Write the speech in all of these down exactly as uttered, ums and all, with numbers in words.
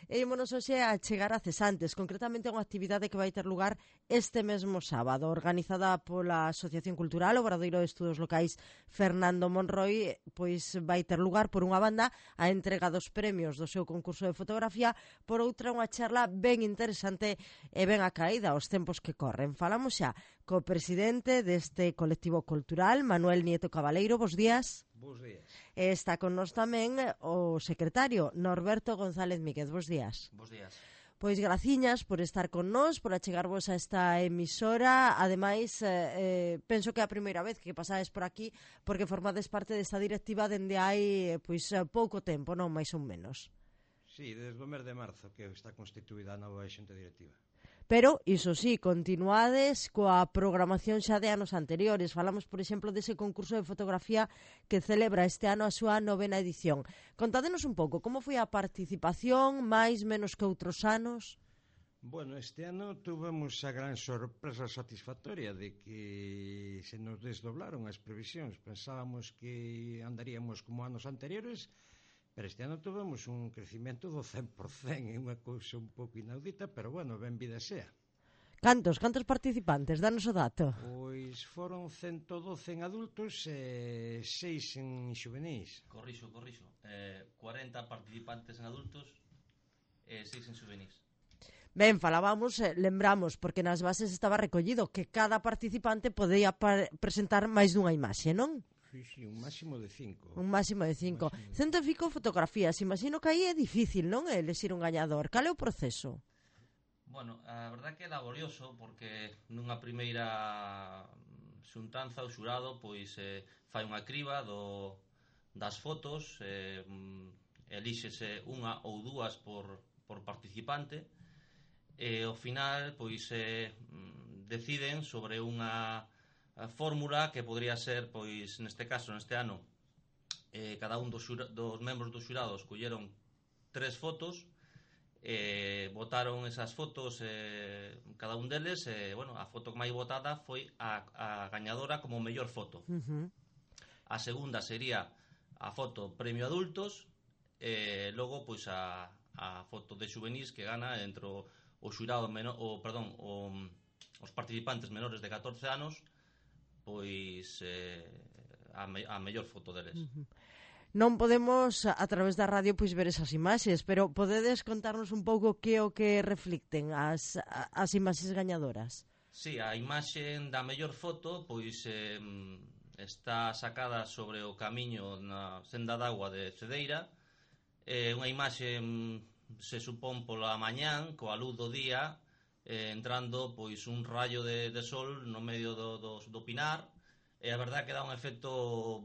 E ímonos hoxe a chegar a Cesantes, concretamente a unha actividade que vai ter lugar este mesmo sábado, organizada pola Asociación Cultural Obradoiro de Estudos Locais Fernando Monroy, pois vai ter lugar por unha banda a entrega dos premios do seu concurso de fotografía, por outra unha charla ben interesante e ben acaída aos tempos que corren. Falamos xa co presidente deste colectivo cultural, Manuel Nieto Cabaleiro. Bos días. Bos días. E está con nós tamén o secretario Norberto González Míguez. Bos días. Bos días. Pois graciñas por estar con nós, por achegarvos a esta emisora. Ademais, eh, penso que é a primeira vez que pasades por aquí, porque formades parte desta directiva dende hai pois pouco tempo, non máis ou menos. Sí, desde o mes de marzo que está constituída a nova xunta directiva. Pero, iso sí, continuades coa programación xa de anos anteriores. Falamos, por exemplo, dese concurso de fotografía que celebra este ano a súa novena edición. Contádenos un pouco, como foi a participación, máis, menos que outros anos? Bueno, este ano tuvemos a gran sorpresa satisfactoria de que se nos desdoblaron as previsións. Pensábamos que andaríamos como anos anteriores, pero este ano tuvemos un crecimento do cen por cento, é unha cousa un pouco inaudita, pero bueno, ben vida sea. Cantos, cantos participantes? Danos o dato. Pois foron ciento doce en adultos e seis en xuvenis. Corrixo, corrixo. Eh, cuarenta participantes en adultos e seis en xuvenis. Ben, falábamos, eh, lembramos, porque nas bases estaba recollido que cada participante podía presentar máis dunha imaxe, non? Sí, sí, un máximo de cinco. Un máximo de cinco. Cento e fico fotografías. Imagino que aí é difícil, non? Elexir un gañador. Cal é o proceso? Bueno, a verdade que é laborioso, porque nunha primeira xuntanza o xurado pois eh, fai unha criba do, das fotos, eh, elíxese unha ou dúas por, por participante, e ao final pois eh, deciden sobre unha a fórmula que podría ser, pois, neste caso, neste ano, eh, cada un dos, xura, dos membros do xurado escolleron tres fotos, eh, votaron esas fotos, eh, cada un deles, e, eh, bueno, a foto máis votada foi a, a gañadora como mellor foto. Uh-huh. A segunda sería a foto premio adultos, e eh, logo, pois, a, a foto de xuvenís que gana entre o, o xurado, menor, o, perdón, o, os participantes menores de catorce anos, pois eh, a, me, a mellor foto deles. Uh-huh. Non podemos a través da radio pois ver esas imaxes, pero podedes contarnos un pouco que o que reflicten as, as imaxes gañadoras? Sí, a imaxe da mellor foto pois eh, está sacada sobre o camiño na senda d'agua de Cedeira. É eh, unha imaxe se supón pola mañán coa luz do día, Eh, entrando pois un rayo de, de sol no medio do, do, do pinar, e a verdade que dá un efecto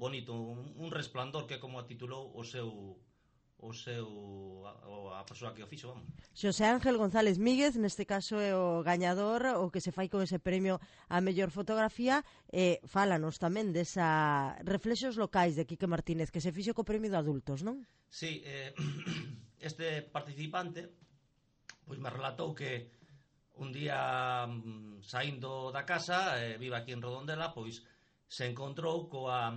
bonito, un, un resplandor, que como titulou o seu o seu a, a persoa que o fixo, vamos. Xosé Ángel González Míguez, neste caso é o gañador, o que se fai con ese premio a mellor fotografía. E eh, fálanos tamén desa Reflexos Locais de Quique Martínez, que se fixo co premio de adultos, non? Sí, eh, este participante pois me relatou que un día saindo da casa, eh, vive aquí en Redondela, pois se encontrou coa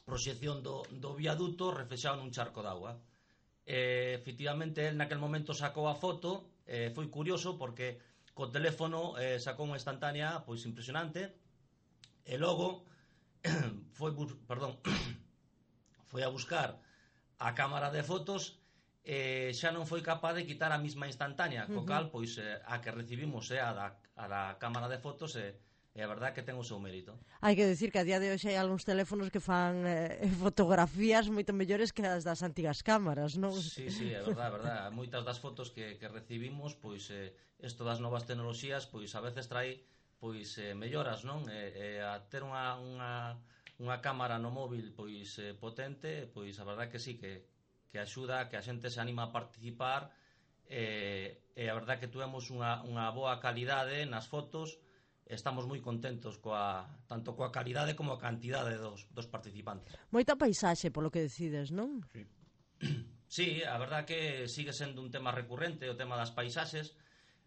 proxección do, do viaduto reflexado nun charco d'agua. Eh, efectivamente, el naquel momento sacou a foto, eh, foi curioso porque co teléfono eh, sacou unha instantánea pois impresionante, e logo foi, perdón, foi a buscar a cámara de fotos, eh, xa non foi capaz de quitar a mesma instantánea, co cal, pois, eh, a que recibimos é eh, a, da, a da cámara de fotos, e eh, a verdade que ten o seu mérito. Hai que decir que a día de hoxe hai algúns teléfonos que fan eh, fotografías moito mellores que as das antigas cámaras, non? Sí, sí, é verdade, é verdade. Moitas das fotos que, que recibimos, pois, eh, isto das novas tecnoloxías, pois, a veces trae, pois, eh, melloras, non? E, eh, a ter unha, unha, unha cámara no móvil, pois, eh, potente, pois, a verdade que sí, que que axuda a que a xente se anima a participar, e, e a verdade que tuvemos unha, unha boa calidade nas fotos. Estamos moi contentos coa, tanto coa calidade como a cantidade dos, dos participantes. Moita paisaxe, polo que decides, non? Sí. Sí, a verdade que sigue sendo un tema recurrente o tema das paisaxes.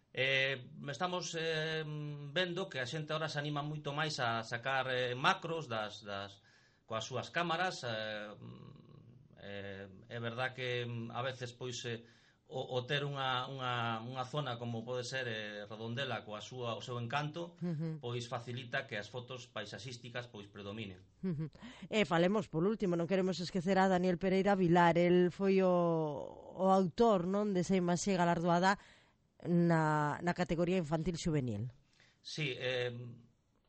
Eh, estamos eh, vendo que a xente ahora se anima moito máis a sacar eh, macros das, das, coas súas cámaras. eh, eh, é verdad que a veces pois eh, o, o ter unha, unha, unha zona como pode ser eh, Redondela coa súa, o seu encanto, uh-huh. pois facilita que as fotos paisaxísticas pois predominen. Uh-huh. E falemos por último, non queremos esquecer a Daniel Pereira Vilar. El foi o, o autor, non, desa imaxe galardoada na, na categoría infantil xuvenil. Sí, eh,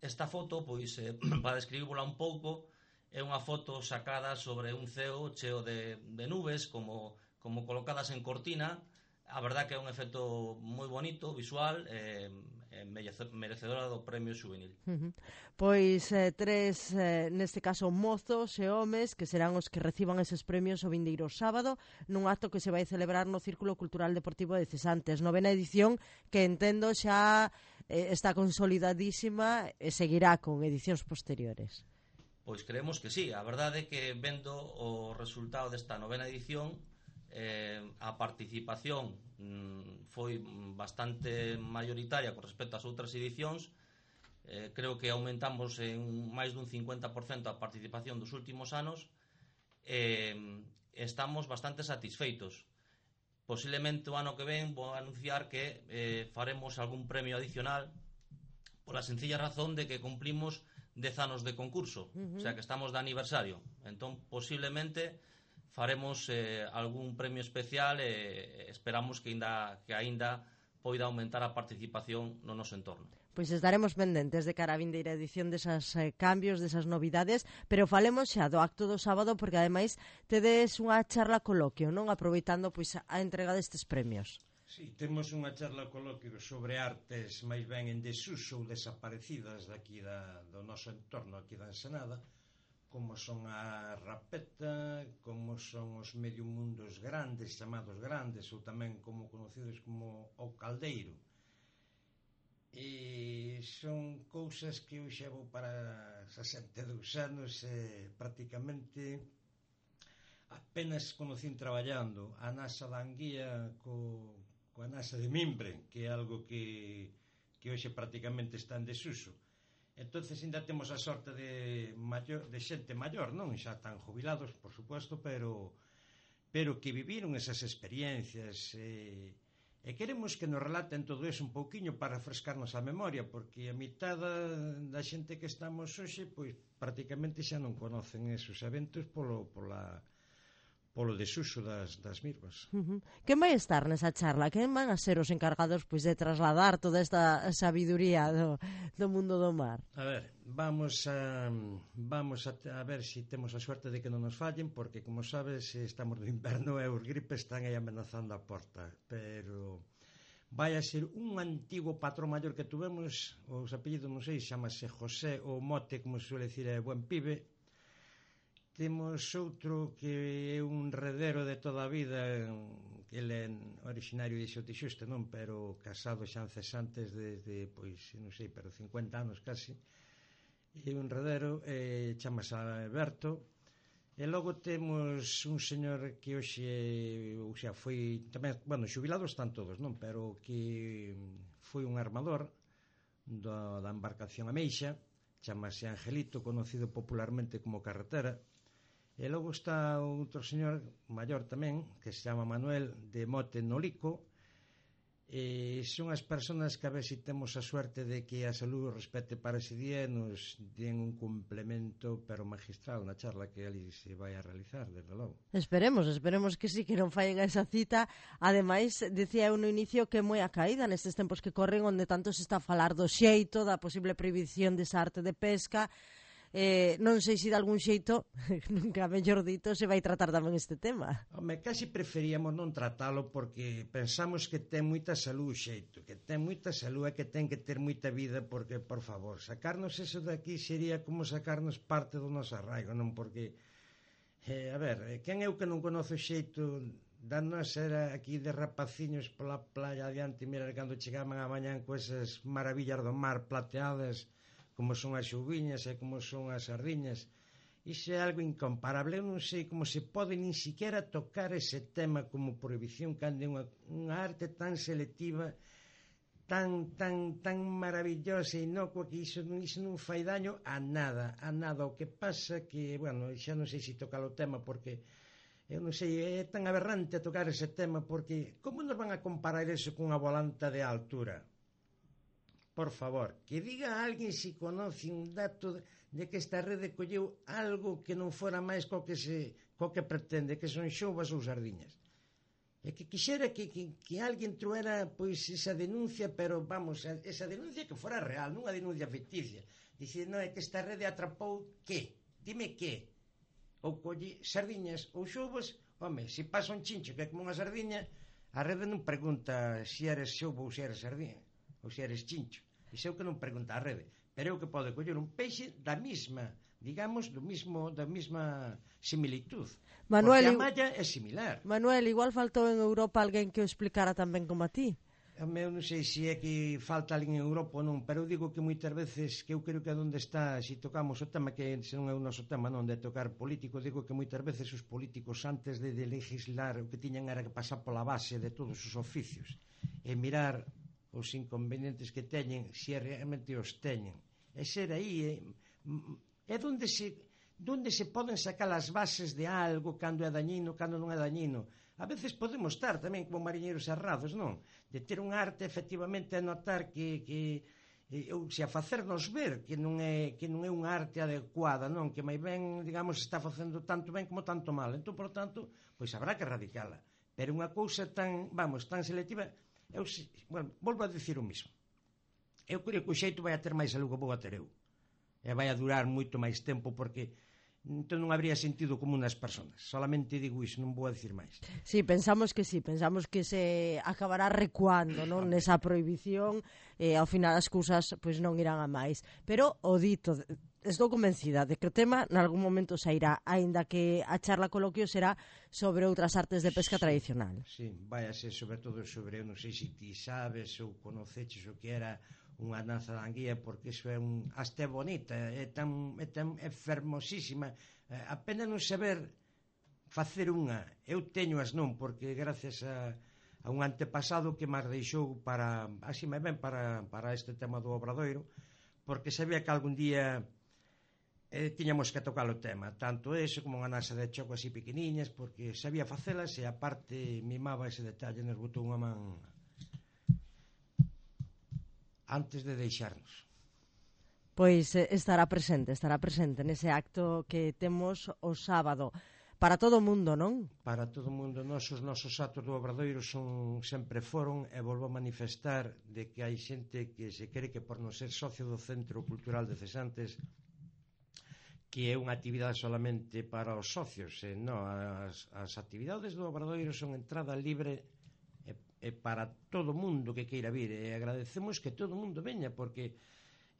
esta foto, pois, eh, para describíbola un pouco, é unha foto sacada sobre un ceo cheo de, de nubes, como como colocadas en cortina. A verdad que é un efecto moi bonito, visual, e eh, merecedora do premio xuvenil. Uh-huh. Pois eh, tres, eh, neste caso, mozos e homes que serán os que reciban eses premios o vindeiro sábado nun acto que se vai celebrar no Círculo Cultural Deportivo de Cesantes, novena edición que entendo xa eh, está consolidadísima e seguirá con edicións posteriores. Pois creemos que sí, a verdade é que vendo o resultado desta novena edición, Eh, a participación mm, foi bastante mayoritaria con respecto ás outras edicións. eh, creo que aumentamos en máis dun cincuenta por cento a participación dos últimos anos. eh, estamos bastante satisfeitos. Posiblemente o ano que ven vou anunciar que eh, faremos algún premio adicional pola sencilla razón de que cumplimos dez anos de concurso. Uh-huh. O sea que estamos de aniversario, entón posiblemente faremos eh, algún premio especial e eh, esperamos que ainda que aínda poida aumentar a participación no noso entorno. Pois estaremos pendentes de cara a vindeira edición desas eh, cambios, desas novidades, pero falemos xa do acto do sábado porque ademais tedes unha charla coloquio, non? Aproveitando pois a entrega destes premios. Sí, temos unha charla coloquio sobre artes máis ben en desuso ou desaparecidas daqui da, do noso entorno aquí da Ensenada, como son a rapeta, como son os medio mundos grandes, chamados grandes, ou tamén como conocidos como o caldeiro. E son cousas que eu xa vou para sesenta e dous anos e prácticamente apenas conocín traballando a nasa da Anguía co, coa nasa de mimbre, que é algo que, que hoxe prácticamente está en desuso. Entonces ainda temos a sorte de maior, de xente maior, non? Xa están jubilados, por suposto, pero pero que viviron esas experiencias e, e queremos que nos relaten todo eso un pouquiño para refrescarnos a memoria, porque a mitad da, da xente que estamos hoxe pois prácticamente xa non conocen esos eventos polo, pola, polo desuso das, das mirvas. Uh-huh. Quen vai estar nesa charla? Quen van a ser os encargados pois de trasladar toda esta sabiduría do, do mundo do mar? A ver, vamos a vamos a, a ver se si temos a suerte de que non nos fallen, porque como sabes estamos no inverno e os gripes están aí amenazando a porta, pero vai a ser un antigo patrón maior que tuvemos, os apellidos non sei, chamase José ou Mote, como se suele decir, é buen pibe. Temos outro que é un redero de toda a vida, que ele é originario de Xotixuste, non? Pero casado xa en Cesantes desde, pois, non sei, pero cincuenta anos casi. E un redero, eh, chamase Alberto. E logo temos un señor que hoxe, ou xa, foi tamén, bueno, xubilados están todos, non? Pero que foi un armador do, da embarcación Ameixa, chamase Angelito, conocido popularmente como Carretera. E logo está outro señor maior tamén, que se chama Manuel, de Mote Nolico. E son as persoas que a ver se si temos a suerte de que a salud respete para ese día e nos den un complemento pero magistral na charla que ali se vai a realizar, desde logo. Esperemos, esperemos que sí, que non fallen a esa cita. Ademais, decía eu no inicio que é moi a caída nestes tempos que corren, onde tanto se está a falar do xeito, da posible prohibición desa arte de pesca. Eh, non sei se de algún xeito, nunca mellor dito, se vai tratar tamén este tema. Home, casi preferíamos non tratalo porque pensamos que ten moita salud o xeito, que ten moita salud e que ten que ter moita vida, porque, por favor, sacarnos eso de aquí sería como sacarnos parte do noso arraigo, non? Porque, eh, a ver, quen é o que non conoce o xeito da nosa era aquí de rapaciños pola playa adiante, mira, cando chegaban a mañán con esas maravillas do mar plateadas, como son as xuviñas e como son as sardiñas. Iso é algo incomparable. Eu non sei como se pode nin siquiera tocar ese tema como prohibición cando é unha, unha arte tan selectiva, tan tan tan maravillosa e inocua, que iso, iso non fai daño a nada, a nada. O que pasa que, bueno, xa non sei se tocar o tema porque eu non sei, é tan aberrante tocar ese tema, porque como nos van a comparar eso cunha volanta de altura? Por favor, que diga a alguén se conoce un dato de que esta rede colleu algo que non fora máis co que se co que pretende, que son xoubas ou sardiñas. E que quixera que, que, que alguén truera pois esa denuncia, pero vamos, esa denuncia que fora real, non unha denuncia ficticia. Dicir, non, é que esta rede atrapou que? Dime que? Ou colle sardiñas ou xoubas, home, se pasa un chincho que é como unha sardiña, a rede non pregunta se eres xoubo ou se eres sardiña, ou se eres chincho. Iso é o que non pregunta a rede. Pero é o que pode coller un peixe da mesma, digamos, do mismo, da mesma similitud. Manuel, porque a malla é similar. Manuel, igual faltou en Europa alguén que o explicara tan ben como a ti. Eu non sei se é que falta alguén en Europa ou non, pero eu digo que moitas veces, que eu creo que onde está, se tocamos o tema, que se non é o noso tema, non, de tocar político, digo que moitas veces os políticos antes de, de legislar o que tiñan era que pasar pola base de todos os oficios e mirar os inconvenientes que teñen, se realmente os teñen. E ser aí é, é donde se, donde se poden sacar as bases de algo, cando é dañino, cando non é dañino. A veces podemos estar tamén como mariñeiros errados, non? De ter un arte, efectivamente, a notar que, que ou se a facernos ver que non é que non é unha arte adecuada, non? Que máis ben, digamos, está facendo tanto ben como tanto mal. Entón, por tanto, pois habrá que erradicala. Pero unha cousa tan, vamos, tan selectiva, eu, bueno, volvo a dicir o mismo. Eu creo que o xeito vai a ter máis algo que vou a ter eu. E vai a durar moito máis tempo, porque entón non habría sentido común nas persoas. Solamente digo iso, non vou a dicir máis. Sí, pensamos que sí, pensamos que se acabará recuando, non, nesa prohibición, e ao final as cousas pois non irán a máis. Pero o dito, estou convencida de que o tema nalgún momento sairá, aínda que a charla coloquio será sobre outras artes de pesca sí, tradicional. Sí, vai a ser sobre todo sobre, eu non sei se ti sabes ou conoceches o que era unha danza da anguía, porque iso é un hasta é bonita, é tan, é tan é fermosísima, eh, apenas non saber facer unha. Eu teño as non, porque gracias a, a un antepasado que máis deixou para, así me ven para, para este tema do Obradoiro, porque sabía que algún día eh, tiñamos que tocar o tema, tanto eso como unha nasa de choco así pequeniñas, porque sabía facelas e aparte mimaba ese detalle, nos botou unha man antes de deixarnos. Pois estará presente, estará presente nese acto que temos o sábado. Para todo o mundo, non? Para todo o mundo. Nos, os nosos actos do Obradoiro son, sempre foron, e volvo a manifestar de que hai xente que se cree que por non ser socio do Centro Cultural de Cesantes que é unha actividade solamente para os socios. E non, as, as actividades do Obradoiro son entrada libre e para todo o mundo que queira vir, e agradecemos que todo o mundo veña, porque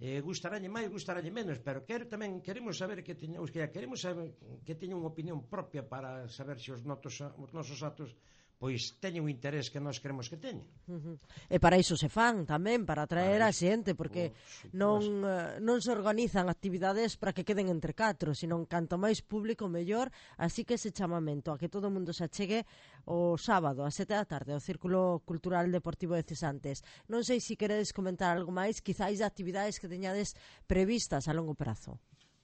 eh, gustaralle máis, gustaralle menos, pero quero tamén queremos saber que teña, os que queremos saber que teña unha opinión propia para saber se os, notos, os nosos actos pois teñen un interés que nós queremos que teñen. Uh-huh. E para iso se fan tamén, para atraer a xente, porque oh, non, uh, non se organizan actividades para que queden entre catro, sino canto máis público mellor, así que ese chamamento a que todo o mundo se achegue o sábado a sete da tarde ao Círculo Cultural Deportivo de Cesantes. Non sei se queredes comentar algo máis, quizáis de actividades que teñades previstas a longo prazo.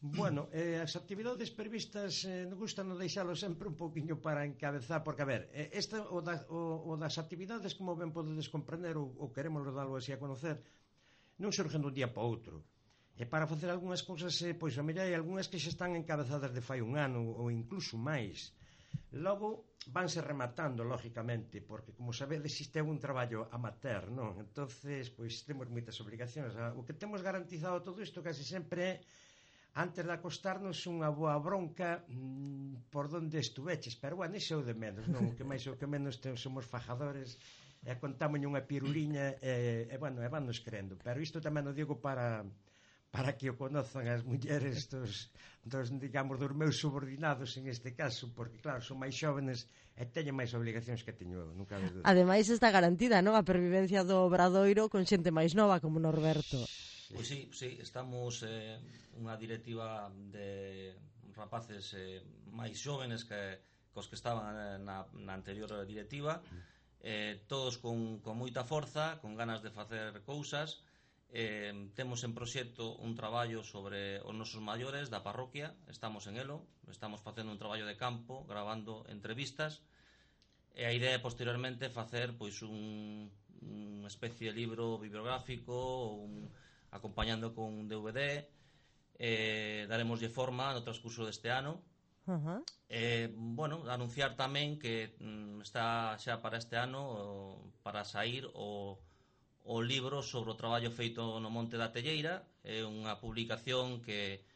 Bueno, eh, as actividades previstas eh, nos gusta non deixalo sempre un poquinho para encabezar, porque a ver, eh, esta o, da, o, o das actividades, como ben podedes comprender ou, ou queremos darlo así a conocer, non surgen dun día para outro. E para facer algunhas cousas, eh, pois a mellor hai algunhas que xa están encabezadas de fai un ano ou incluso máis. Logo vanse rematando, lógicamente, porque como sabedes existe un traballo amateur, non? Entonces, pois temos moitas obligacións. O que temos garantizado todo isto case sempre é antes de acostarnos unha boa bronca mmm, por donde estuveches, pero bueno, iso é o de menos, non? O que máis o que menos te, somos fajadores e contamos unha piruriña e, e bueno, e vannos crendo, pero isto tamén o digo para para que o conozan as mulleres dos, dos, digamos, dos meus subordinados en este caso, porque claro, son máis xóvenes e teñen máis obligacións que teño eu, nunca de duda. Ademais está garantida, non? A pervivencia do Obradoiro con xente máis nova como Norberto. Pois sí, sí, estamos eh, unha directiva de rapaces eh, máis xóvenes que cos que estaban na, na anterior directiva, eh, todos con, con moita forza, con ganas de facer cousas, Eh, temos en proxecto un traballo sobre os nosos maiores da parroquia, estamos en elo, estamos facendo un traballo de campo, gravando entrevistas, e a idea é posteriormente facer pois un, unha especie de libro bibliográfico, un, acompañando con un D V D, eh, daremoslle forma no transcurso deste ano. Uh-huh. Eh, bueno, anunciar tamén que mm, está xa para este ano o, para sair o o libro sobre o traballo feito no Monte da Telleira. É unha publicación que,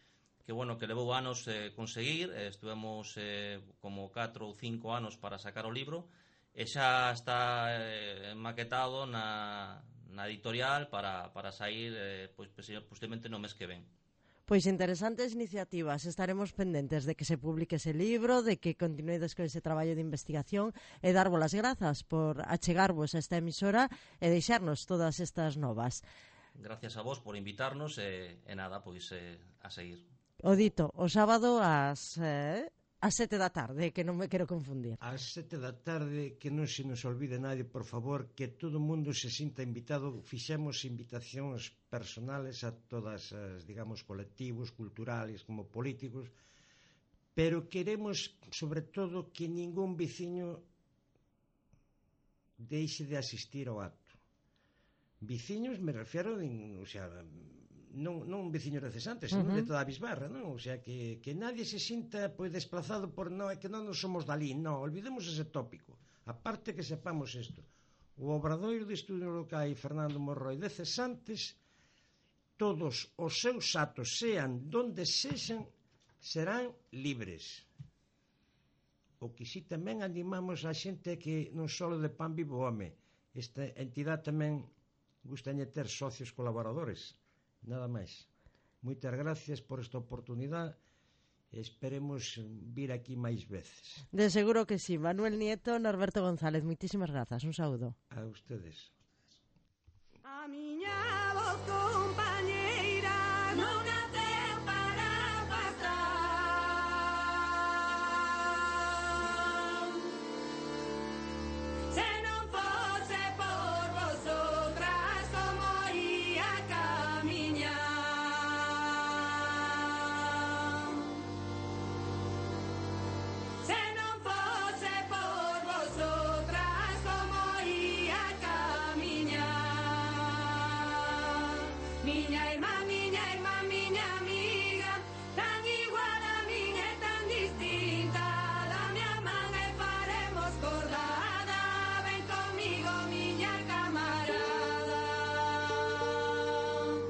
que, bueno, que levou anos eh, conseguir, eh, estuvemos eh, como catro ou cinco anos para sacar o libro, e xa está eh, maquetado na, na editorial para, para sair eh, pois, posiblemente no mes que ven. Pois interesantes iniciativas, estaremos pendentes de que se publique ese libro, de que continuedes con ese traballo de investigación e darvos as grazas por achegarvos a esta emisora e deixarnos todas estas novas. Gracias a vos por invitarnos e, e nada, pois eh, a seguir. O dito, o sábado ás... Eh... As sete da tarde, que non me quero confundir. Ás sete da tarde, que non se nos olvide nadie, por favor, que todo o mundo se sinta invitado. Fixemos invitacións personales a todas as, digamos, colectivos, culturales, como políticos, pero queremos, sobre todo, que ningún veciño deixe de asistir ao acto. Veciños, me refiero, en, o sea, non, non veciños de Cesantes, senón uh-huh. de toda a Bisbarra, non? O sea, que, que nadie se sinta pois desplazado por non, é que non nos somos dalí, non, olvidemos ese tópico. Aparte que sepamos isto, o Obradoiro de Estudos Locais Fernando Monroi de Cesantes, todos os seus actos, sean donde sexan, serán libres. O que si tamén animamos a xente que non só de pan vivo home, esta entidade tamén gustañe ter socios colaboradores. Nada máis. Moitas gracias por esta oportunidade e esperemos vir aquí máis veces. De seguro que sí. Manuel Nieto, Norberto González, moitísimas grazas. Un saúdo. A ustedes. A miña voz compañera